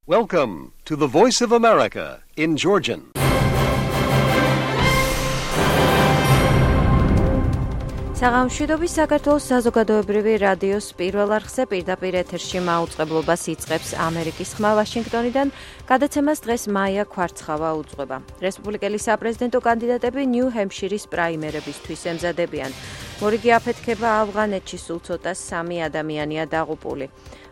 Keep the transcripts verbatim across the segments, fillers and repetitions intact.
Welcome to the Voice of America in Georgian. საღამოშვიდობის საქართველოს საზოგადოებრივი რადიოს პირველ არხზე პირდაპირ ეთერში მაუწყებლობას იწყებს ამერიკის ხმა ვაშინგტონიდან. გადაცემას დღეს მაია ქვარცხავა უძღვება. რესპუბლიკელი საპრეზიდენტო კანდიდატები ნიუ-ჰემპშირის პრაიმერებისთვის ემზადებიან. მორიგი აფეთქება ავღანეთში სულ ცოტა სამი ადამიანია დაღუპული.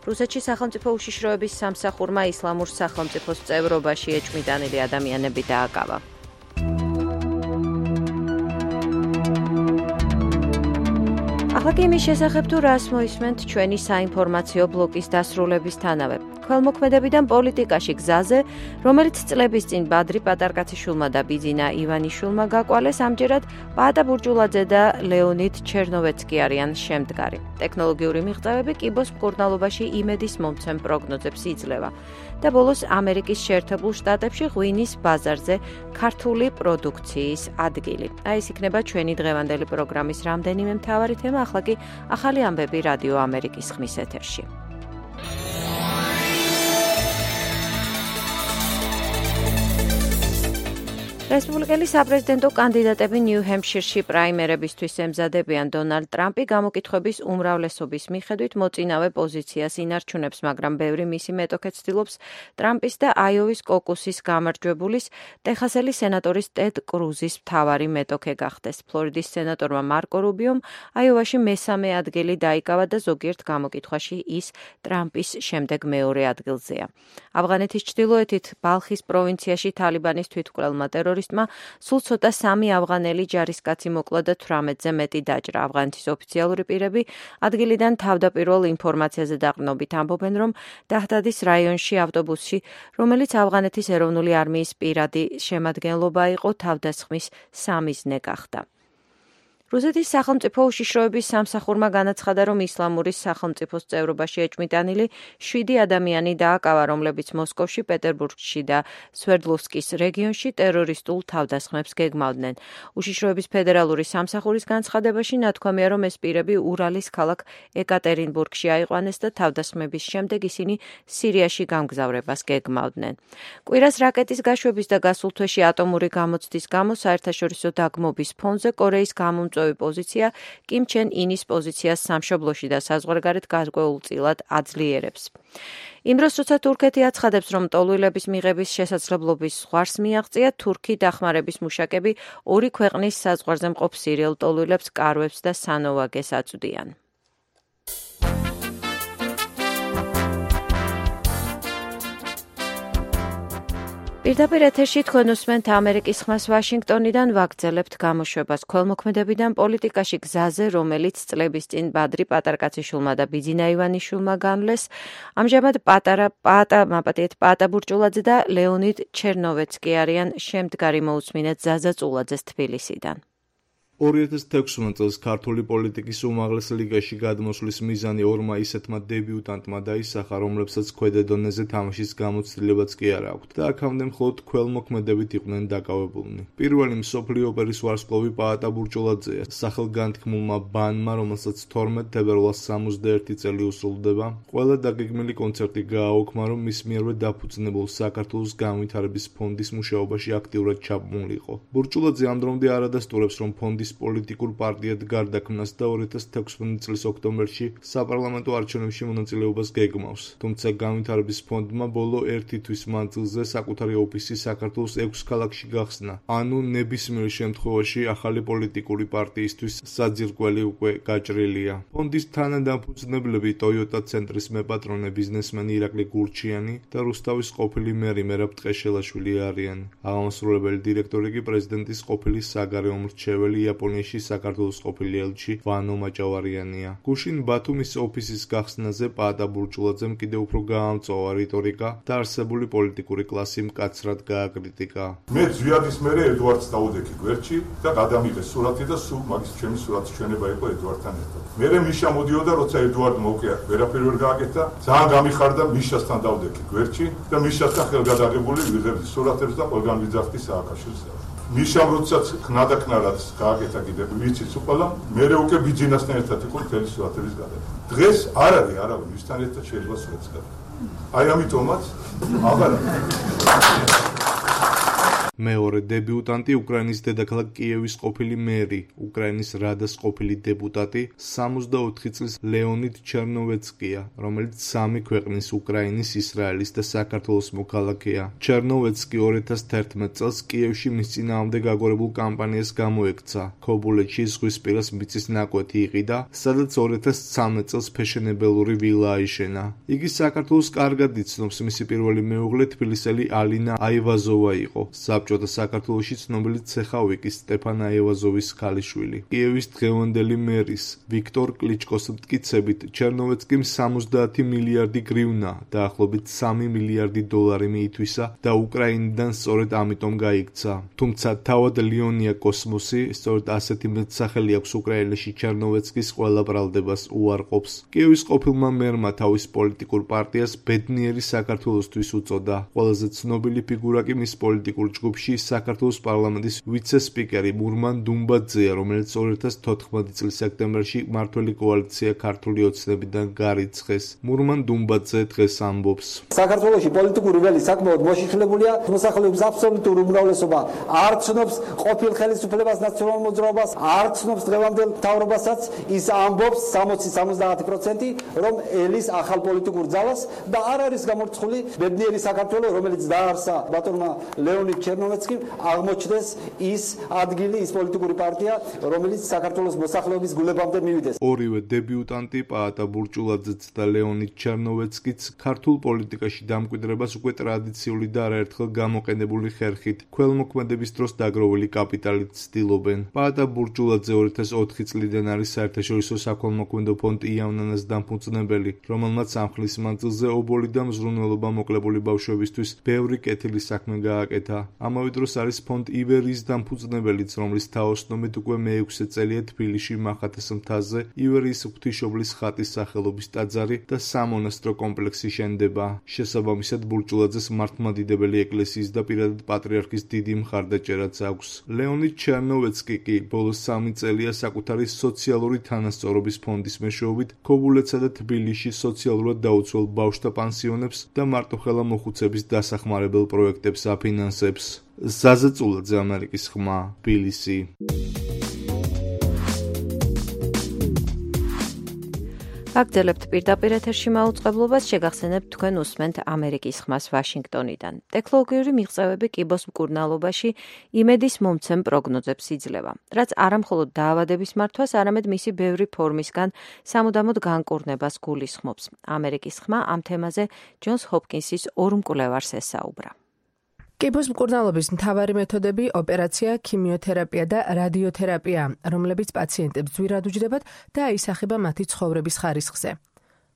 რუსეთში სახელმწიფო უშიშროების სამსახურმა ისლამურ სახელმწიფოს წევრობაში ეჭვმიტანილი ადამიანები დააკავა. ახლა კი იმის შესახებ თუ რას მოისმენთ ჩვენი საინფორმაციო ბლოკის დასრულებისთანავე. ქველმოქმედებიდან პოლიტიკაში გზაზე, რომელიც წლების წინ ბადრი პატარკაციშვილმა და ბიძინა ივანიშვილმა გაკვალეს, ამჯერად პაატა ბურჯულაძე და ლეონიდ ჩერნოვეცკი არიან შემდგარი. ტექნოლოგიური მიღწევები კიბოს მკურნალობაში იმედის მომცემ პროგნოზებს იძლევა. და ბოლოს ამერიკის შეერთებულ შტატებში ღვინის ბაზარზე ქართული პროდუქციის ადგილი. აი ეს იქნება ჩვენი დღევანდელი პროგრამის რამდენიმე მთავარი თემა, ახლა კი ახალი ამბები რადიო ამერიკის ხმის ეთერში. რესპუბლიკელი საპრეზიდენტო კანდიდატები ნიუ-ჰემპშირში პრაიმერებისთვის ემზადებიან. დონალდ ტრამპი გამოკითხვების უმრავლესობის მიხედვით მოწინავე პოზიციას ინარჩუნებს, მაგრამ ბევრი მისი მეტოქე ცდილობს ტრამპის და აიოვის კოკუსის გამარჯვებულის ტეხასელი სენატორის ტედ კრუზის მთავარი მეტოქე გახდეს. ფლორიდის სენატორმა მარკო რუბიომ აიოვაში მესამე ადგილი დაიკავა და ზოგიერთ გამოკითხვაში ის ტრამპის შემდეგ მეორე ადგილზეა. ავღანეთის ჩრდილოეთით ბალხის პროვინციაში თალიბანის თვითმკვლელმა ტერორისტმა სულ ცოტა სამი ავღანელი ჯარისკაცი მოკლა და თვრამეტზე მეტი დაჭრა. ავღანეთის ოფიციალური პირები ადგილიდან თავდაპირველ ინფორმაციაზე დაყრდნობით ამბობენ, რომ დაჰდადის რაიონში ავტობუსში, რომელიც ავღანეთის ეროვნული არმიის პირადი შემადგენლობა იყო, თავდასხმის სამიზნე გახდა. რუსეთის სახელმწიფო უშიშროების სამსახურმა განაცხადა, რომ ისლამური სახელმწიფოს წევრობაში ეჭვმიტანილი შვიდი ადამიანი დააკავა, რომლებიც მოსკოვში, პეტერბურგში და სვერდლოვსკის რეგიონში ტერორისტულ თავდასხმებს გეგმავდნენ. უშიშროების ფედერალური სამსახურის განცხადებაში ნათქვამია, რომ ეს პირები ურალის ქალაქ ეკატერინბურგში აიყვანეს და თავდასხმების შემდეგ ისინი სირიაში გამგზავრებას გეგმავდნენ. კვირას რაკეტის გაშვების და გასულ თვეში ატომური გამოცდის გამო საერთაშორისო დაგმობის ფონზე კორეის გამომწვევი პოზიცია კიმ ჩენ ინის პოზიციას სამშობლოში და საზღვარგარეთ გარკვეულწილად აძლიერებს. იმ დროს, როცა თურქეთი აცხადებს, რომ ტოლვილების მიღების შესაძლებლობის ზღვარს მიაღწია, თურქი დახმარების მუშაკები ორი ქვეყნის საზღვარზე მყოფ სირიელ ტოლვილებს კარვებს და სანოვაგეს აწვდიან. პირდაპირ ეთერში თქვენ უსმენთ ამერიკის ხმას ვაშინგტონიდან, ვაგრძელებთ გამოშვებას ქველმოქმედებიდან პოლიტიკაში გზაზე, რომელიც წლების წინ ბადრი პატარკაციშვილმა და ბიძინა ივანიშვილმა განვლეს. ამჟამად პატარა პაატა მაპატიეთ პაატა ბურჯულაძე და ლეონიდ ჩერნოვეცკი არიან შემდგარი მოусმინეთ ზაზა წულაძეს თბილისიდან. ორი ათას თექვსმეტ წელს ქართული პოლიტიკის უმაღლეს ლიგაში გადმოსვლის მიზანი ორმა ისეთმა დებიუტანტმა დაისახა, რომლებსაც ქვედა დონეზე თამაშის გამოცდილებაც კი არ აქვთ და აქამდე მხოლოდ ქველმოქმედებით იყვნენ დაკავებულნი. პირველი მსოფლიო ოპერის ვარსკვლავი პაატა ბურჯულაძეა. სახელგანთქმულმა ბანმა, რომელსაც თორმეტ თებერვალს სამოცდაერთი წელი უსრულდება, ყველა დაგეგმილი კონცერტი გააოქმა, რომ მის მიერვე დაფუძნებულ საქართველოს განვითარების ფონდის მუშაობაში აქტიურად ჩაბმულიყო. ბურჯულაძე ამ დრომდე არ ადასტურებს, რომ ფონდის პოლიტიკურ პარტიად გარდაქმნას და ორი ათას თექვსმეტ წლის ოქტომბერში საპარლამენტო არჩევნებში მონაწილეობას გეგმავს. თუმცა განვითარების ფონდმა ბოლო ერთი თვის მანძილზე საკუთარი ოფისი საქართველოს ექვს ქალაქში გახსნა. ანუ ნებისმიერ შემთხვევაში ახალი პოლიტიკური პარტიისთვის საძირკველი უკვე გაჭრილია. ფონდის თანადამფუძნებლები ტოიოტა ცენტრის მეპატრონე ბიზნესმენი ირაკლი გურჩიანი და რუსთავის ყოფილი მერი მერაბ ტყეშელაშვილი არიან. აღმასრულებელი დირექტორი კი პრეზიდენტის ყოფილი საგარეო მრჩეველი იაპონიაში საქართველოს ყოფილი ელჩი ვანო მაჭავარიანია. გუშინ ბათუმის ოფისის გახსნაზე პაატა ბურჯულაძემ კიდევ უფრო გაამწვავა რიტორიკა და არსებული პოლიტიკური კლასი მკაცრად გააკრიტიკა. მე ზვიადის მერე ედვარდს დავუდექი გვერდში და გადამიღეს სურათი და სულ მაგის ჩემი სურათის ჩვენება იყო ედვარდთან ერთად. მერე მიშა მოდიოდა, როცა ედვარდ მოვკია, ვერაფერი ვერ გააკეთა, ძალიან გამიხარდა, მიშასთან დავდექი გვერდში და მიშასთან ხელგადაღებული ვიღებდი სურათებს და ყველგან ვიძახდი სააკაშვილს. მიშამ როდესაც ხნადაკნარად გააკეთა კიდევ ვიცით უყალა, მერე უკვე ბიძინასთან ერთად იყო მთელი სურათების გადაღება. დღეს არ არის არავინ ვისთან ერთად შეიძლება სურათს გადაღება. აი ამიტომაც აბარა მეორე დებიუტანტი უკრაინის დედაქალაქ კიევის ყოფილი მერი, უკრაინის რადას ყოფილი დეპუტატი, სამოცდაოთხი წლის ლეონიდ ჩერნოვეცკია, რომელიც სამი ქვეყნის უკრაინის, ისრაელის და საქართველოს მოქალაქეა. ჩერნოვეცკი ორი ათას თერთმეტ წელს კიევში მის წინააღმდეგ გაგორებულ კამპანიას გამოექცა. ქობულეთში ზღვისპირას მიწის ნაკვეთი იყიდა, სადაც ორი ათას ცხრამეტ წელს ფეშენებელური ვილა აიშენა. იგი საქართველოს კარგად იცნობს, მისი პირველი მეუღლე თბილისელი ალინა აივაზოვა იყო. საბჭოთა საქართველოში ცნობილი ცეხავიკის სტეფან აევაზოვის ქალიშვილი. კიევის დღევანდელი მერის ვიქტორ კლიჩკოს მტკიცებით, ჩერნოვეცკიმ სამოცდაათი მილიარდი გრივნა, დაახლოებით სამი მილიარდი დოლარი მიითვისა და უკრაინიდან სწორედ ამიტომ გაიქცა. თუმცა თავად ლეონია კოსმოსი სწორედ ასეთი მეტსახელი აქვს უკრაინაში ჩერნოვეცკის ყველა ბრალდებას უარყოფს. კიევის ყოფილმა მერმა თავის პოლიტიკურ პარტიას ბედნიერი საქართველოსთვის უწოდა. ყველაზე ცნობილი ფიგურა კი მის პოლიტიკურ ჯგუფში საქართველოს პარლამენტის ვიცე-სპიკერი მურმან დუმბაძეა, რომელიც ორი ათას თოთხმეტი წლის სექტემბერში მმართველი კოალიცია ქართული ოცნებიდან გარიცხეს. მურმან დუმბაძე დღეს ამბობს: საქართველოში პოლიტიკური ველი საკმაოდ მოშიშვლებულია, მოსახლეობის აბსოლუტური უმრავლესობა არ ცნობს ყოფილ ხელისუფლებას, ნაციონალურ მოძრაობას, არ ცნობს დღევანდელ მთავრობასაც. ის ამბობს სამოცი სამოცდაათი პროცენტი, რომ ელის ახალ პოლიტიკურ ძალას და არ არის გამორჩეული ბედნიერი საქართველო, რომელიც დაარსა ბატონმა ლეონიდ ჩერნოვეცკიმ, აღმოჩნდეს ის ადგილი, ის პოლიტიკური პარტია, რომელიც საქართველოს მოსახლეობის გულებამდე მივიდეს. ორივე დებიუტანტი, პაატა ბურჭულაძეც და ლეონიდ ჩერნოვეცკიც ქართულ პოლიტიკაში დამკვიდრებას უკვე ტრადიციული და არაერთხელ გამოყენებული ხერხით, ქველმოქმედების დროს დაგროვილი კაპიტალით ცდილობენ. პაატა ბურჭულაძე ორი ათას ოთხი წლიდან არის საერთაშორისო საქველმოქმედო ფონდ იავნანას დამფუძნებელი, რომელმაც ამ ხნის მანძილზე ობოლი და მზრუნველობა მოკლებული ბავშვებისთვის ბევრი კეთილი საქმე გააკეთა. ამავე დროს არის ფონდ ივერიის დამფუძნებელიც, რომლის თაოსნობით უკვე მეექვსე წელია თბილისში მახათას მთაზე ივერიის ღვთისმშობლის ხატის სახელობის ტაძარი და სამონასტრო კომპლექსი შენდება. შესაბამისად, ბურჭულაძეს მართლმადიდებელი ეკლესიის და პირადად პატრიარქის დიდი მხარდაჭერაც აქვს. ლეონიდ ჩერნოვეცკი კი ბოლოს სამი წელია საკუთარი სოციალური თანასწორობის ფონდის მეშვეობით ქობულეთსა და თბილისში სოციალურად დაუცველ ბავშვთა პანსიონებს და მარტოხელა მოხუცების დასახმარებელ პროექტებს აფინანსებს. ზაზა წულაძე, ამერიკის ხმა, თბილისი. აგრძელებთ პირდაპირ ეთერში მაუწყებლობას, შეგახსენებთ თქვენ უსმენთ ამერიკის ხმას ვაშინგტონიდან. ტექნოლოგიური მიღწევები კიბოს მკურნალობაში იმედის მომცემ პროგნოზებს იძლევა, რაც არამხოლოდ დაავადების მართვას, არამედ მისი ბევრი ფორმისგან სამუდამოდ განკურნებას გულისხმობს. ამერიკის ხმა ამ თემაზე ჯონს ჰოპკინსის ორ მკვლევარს ესაუბრა. კიბოს მკურნალობის მთავარი მეთოდები ოპერაცია, ქიმიოთერაპია და რადიოთერაპია, რომლებიც პაციენტებს ძვირად უჯდებათ და აისახება მათი ცხოვრების ხარისხზე.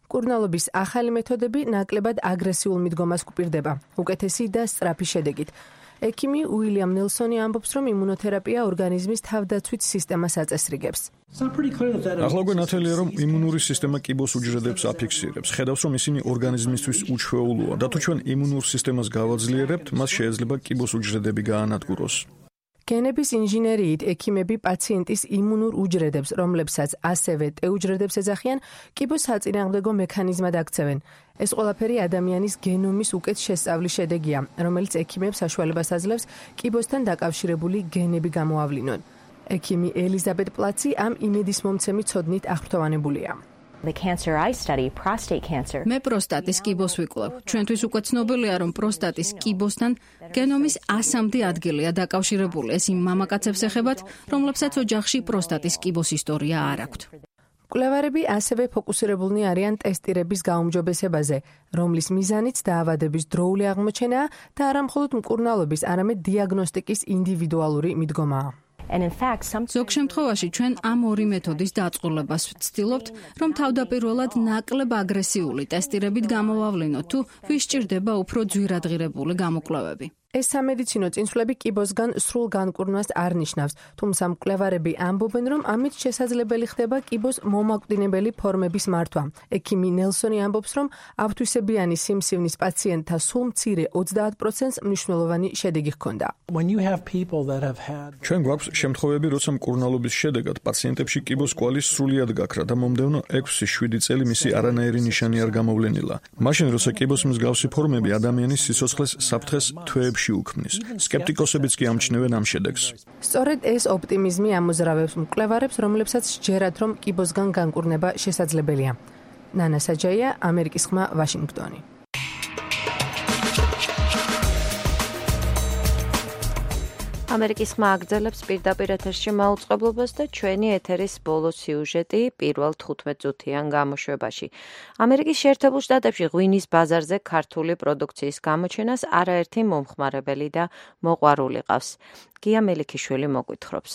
მკურნალობის ახალი მეთოდები ნაკლებად აგრესიულ მიდგომას გვპირდება, უკეთესი და სწრაფი შედეგით. ექიმი უილიამ ნელსონი ამბობს, რომ იმუნოთერაპია ორგანიზმის თავდაცვით სისტემას აწესრიგებს. ახლა უკვე ნათელია, რომ იმუნური სისტემა კიბოს უჯრედებს აფიქსირებს. ხედავს, რომ ისინი ორგანიზმისთვის უჩვეულოა და თუ ჩვენ იმუნურ სისტემას გავაძლიერებთ, მას შეიძლება კიბოს უჯრედები გაანადგუროს. გენების ინჟინერიით ექიმები პაციენტის იმუნურ უჯრედებს, რომლებსაც ასევე ტე უჯრედებს ეძახიან, კიბოს საწინააღმდეგო მექანიზმად აქცევენ. ეს ყველაფერი ადამიანის გენომის უკეთ შესწავლის შედეგია, რომელიც ექიმებს საშუალებას აძლევს კიბოსთან დაკავშირებული გენები გამოავლინონ. ექიმი ელიზაბეთ პლაცი ამ იმედისმომცემი ცოდნით აღფრთოვანებულია. The cancer I study, prostate cancer. მე პროსტატის კიბოს ვიკვლევ. ჩვენთვის უკვე ცნობილია, რომ პროსტატის კიბოსთან გენომის ასამდე ადგილია დაკავშირებული. ეს იმ მამაკაცებს ეხებათ, რომლებსაც ოჯახში პროსტატის კიბოს ისტორია არ აქვთ. მკვლევარები ასევე ფოკუსირებულნი არიან ტესტირების გაუმჯობესებაზე, რომლის მიზანიც დაავადების დროული აღმოჩენაა და არამხოლოდ მკურნალობის, არამედ დიაგნოსტიკის ინდივიდუალური მიდგომაა. ზოგ შემთხვევაში ჩვენ ამ ორი მეთოდის დაწყვილებას ვცდილობთ, რომ თავდაპირველად ნაკლებ აგრესიული ტესტირებით გამოვავლინოთ, თუ ვის სჭირდება უფრო ძვირადღირებული გამოკვლევები. ეს სამედიცინო წინსვლები კიბოსგან სრულ განკურნვას არ ნიშნავს, თუმცა მკვლევარები ამბობენ, რომ ამით შესაძლებელი ხდება კიბოს მომაკვდინებელი ფორმების მართვა. ექიმი ნელსონი ამბობს, რომ ავთვისებიანი სიმსივნის პაციენტთა სულ მცირე ოცდაათ პროცენტს მნიშვნელოვანი შედეგი ჰქონდა. ჩვენ გვაქვს შემთხვევები, როცა მკურნალობის შედეგად პაციენტებში კიბოს კვალი სრულიად გაქრა და მომდევნო ექვსი შვიდი წელი მისი არანაირი ნიშანი არ გამოვლენილა. მაშინ, როცა კიბოს მსგავსი ფორმები ადამიანის სიცოცხლეს საფრთხეს თვეებში უქმნის. სკეპტიკოსებიც კი ამჩნევენ ამ შედეგს. სწორედ ეს ოპტიმიზმი ამოძრავებს მკვლევარებს, რომლებსაც სჯერათ, რომ კიბოსგან განკურნება შესაძლებელია. ნანა საჯაია, ამერიკის ხმა, ვაშინგტონი. ამერიკის ხმა აგრძელებს პირდაპირ ეთერში მაუწყებლობას და ჩვენი ეთერის ბოლო სიუჟეტი პირველ თხუთმეტ წუთიან გამოშვებაში. ამერიკის შეერთებულ შტატებში ღვინის ბაზარზე ქართული პროდუქციის გამოჩენას არაერთი მომხმარებელი და მოყვარული ყავს. გია მელიქიშვილი მოგვითხრობს.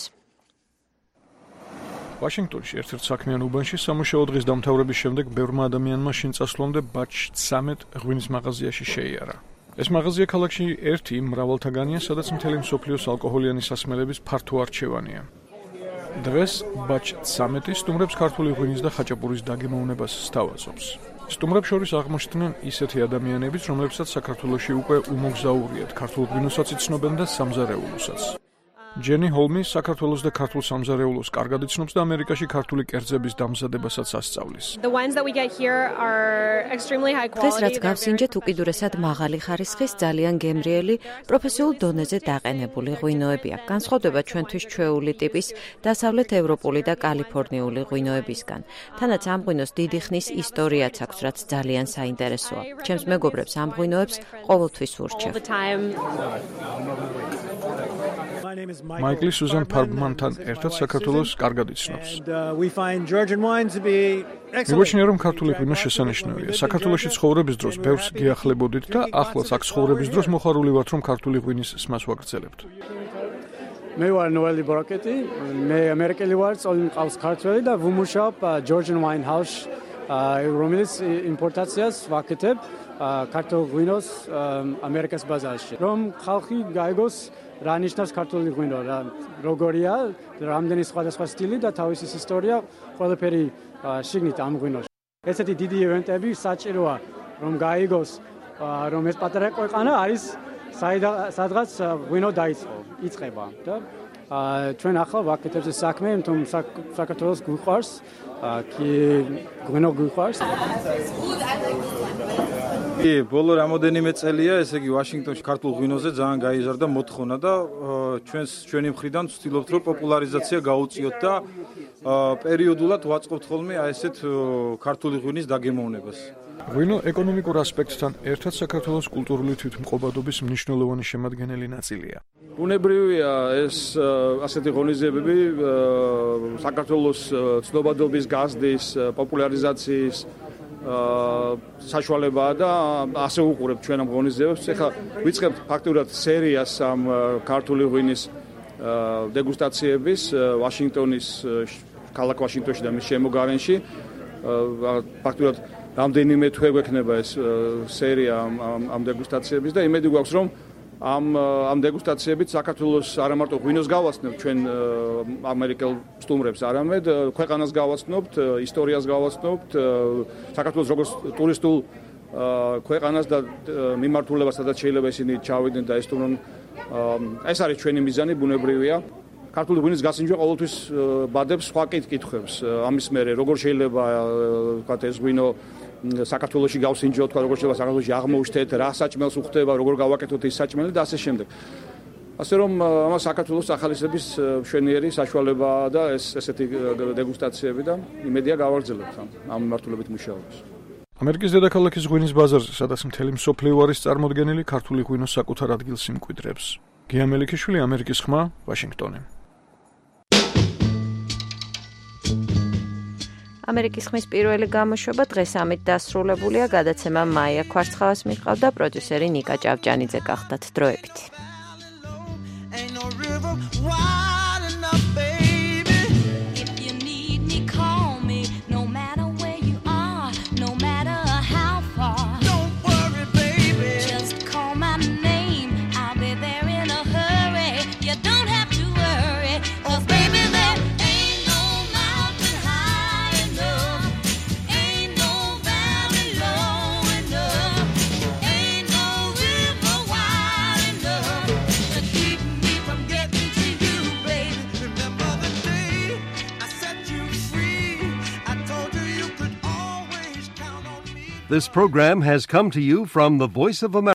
ვაშინგტონში ერთ-ერთ საქმიან უბანში სამუშაო დღის დამთავრების შემდეგ ბევრმა ადამიანმა შინ წასვლამდე ბაჩ ცამეტ ღვინის მაღაზიაში შეიარა. ეს მაღაზია ქალაქში ერთი მრავალთაგანია, სადაც მთელი მსოფლიოს ალკოჰოლიანი სასმელების ფართო არჩევანია. დღეს ბაჩ ცამეტი სტუმრებს ქართული ღვინის და ხაჭაპურის დაგემოვნებას სთავაზობს. სტუმრებს შორის აღმოჩნდნენ ისეთი ადამიანებიც, რომლებსაც საქართველოში უკვე უმოგზაურიათ, ქართულ ღვინოსაც იცნობენ და სამზარეულოსაც. ჯენი ჰოლმი საქართველოს და ქართულ სამზარეულოს კარგად იცნობს და ამერიკაში ქართული კერძების დამზადებასაც ასწავლის. დღეს რაც გავსინჯეთ, უკიდურესად მაღალი ხარისხის, ძალიან გემრიელი, პროფესიულ დონეზე დაყენებული ღვინოებია. განსხვავდება ჩვენთვის ჩვეული ტიპის დასავლეთ ევროპული და კალიფორნიული ღვინოებისგან. თანაც ამ ღვინოს დიდი ხნის ისტორიაც აქვს, რაც ძალიან საინტერესოა. ჩემს მეგობრებს ამ ღვინოებს ყოველთვის ვურჩევ. მაიკლი სუზან ფარბმანთან ერთად საქართველოს კარგად იცნობს. მიგოჩნია, რომ ქართული ღვინო შესანიშნავია. საქართველოში ცხოვრების დროს ბევრს გიახლებოდით და ახლაც აქ ცხოვრების დროს მოხარული ვართ, რომ ქართული ღვინის სმას ვაგრძელებთ. მე ვარ ნოელი ბროკეტი, მე ამერიკელი ვარ, წოლი მყავს ქართველი და ვუმუშავებ ჯორჯენ ვაინ ჰაუსში, რომელიც იმპორტაციას ვაკეთებ ქართულ ღვინოს ამერიკის ბაზარში. რომ ხალხი გაიგოს რა ნიშნავს ქართული ღვინო, რა როგორია, რამდენი სხვადასხვა სტილი და თავისი ისტორია ყველაფერი შიგნით ამ ღვინოში. ესეთი დიდი ივენტები საჭიროა, რომ გაიგოს, რომ ეს პატარა ქვეყანა არის სადღაც ღვინო დაიწყო, იწყება და ჩვენ ახლა ვაკეთებთ ეს საქმე, თუმ საქართველოს გვიყვარს, კი ღვინო გვიყვარს. ბოლო რამოდენიმე წელია, ესე იგი ვაშინგტონში ქართულ ღვინოზე ძალიან გაიზარდა მოთხოვნა და ჩვენს ჩვენი მხრიდან ვცდილობთ, რომ პოპულარიზაცია გაუწიოთ და პერიოდულად ვაწყობთ ხოლმე აი ესეთ ქართული ღვინის დაგემოვნებას. ღვინო ეკონომიკურ ასპექტთან ერთად საქართველოს კულტურული თვითმყოფადობის მნიშვნელოვანი შემადგენელი ნაწილია. ბუნებრივია ეს ასეთი ღონისძიებები საქართველოს ცნობადობის გაზრდის, პოპულარიზაციის საშუალებაა და ასე უყურებთ ჩვენ ამ ღონისძიებებს. ეხლა ვიწყებთ ფაქტურად სერიას ამ ქართული ღვინის დეგუსტაციების ვაშინგტონის ქალაქ ვაშინგტონში და მის შემოგარენში. ფაქტურად რამდენიმე თვე გვექნება ეს სერია ამ ამ დეგუსტაციების და იმედი გვაქვს, რომ ამ ამ დეგუსტაციებით საქართველოს არა მარტო ღვინოს გავაცნობთ ჩვენ ამერიკელ სტუმრებს, არამედ ქვეყანას გავაცნობთ, ისტორიას გავაცნობთ, საქართველოს როგორც ტურისტულ ქვეყანას და მიმართულებას, სადაც შეიძლება ისინი ჩავიდნენ და ესტუმრონ. ეს არის ჩვენი მიზანი, ბუნებრივია. ქართული ღვინის გასინჯვა ყოველთვის ბადებს სხვა კითხვებს. ამის მერე როგორ შეიძლება ვთქვათ ეს ღვინო საქართველოში გავსინჯოთ, თქვა როგორ შეიძლება საქართველოში აღმოჩნდეთ, რა საჭმელს უხდება, როგორ გავაკეთოთ ეს საჭმელი და ასე შემდეგ. ასე რომ ამას საქართველოს ახალისების მშვენიერი საშუალება და ეს ესეთი დეგუსტაციები და იმედია გავაგრძელებთ ამ მიმართულებით მუშაობას. ამერიკის დედაქალაქის ღვინის ბაზარზე, სადაც მთელი მსოფლიო არის წარმოდგენილი, ქართული ღვინო საკუთარ ადგილს იმკვიდრებს. გია მელიქიშვილი, ამერიკის ხმა, ვაშინგტონი. ამერიკის ხმის პირველი გამოშვება დღეს ამით დასრულებულია. გადაცემა მაია ქვარცხავას მიჰყავდა, პროდიუსერი ნიკა ჭავჭანიძე გახდათ. დროებით. Don't worry, baby. Just call my name. I'll be This program has come to you from the Voice of America.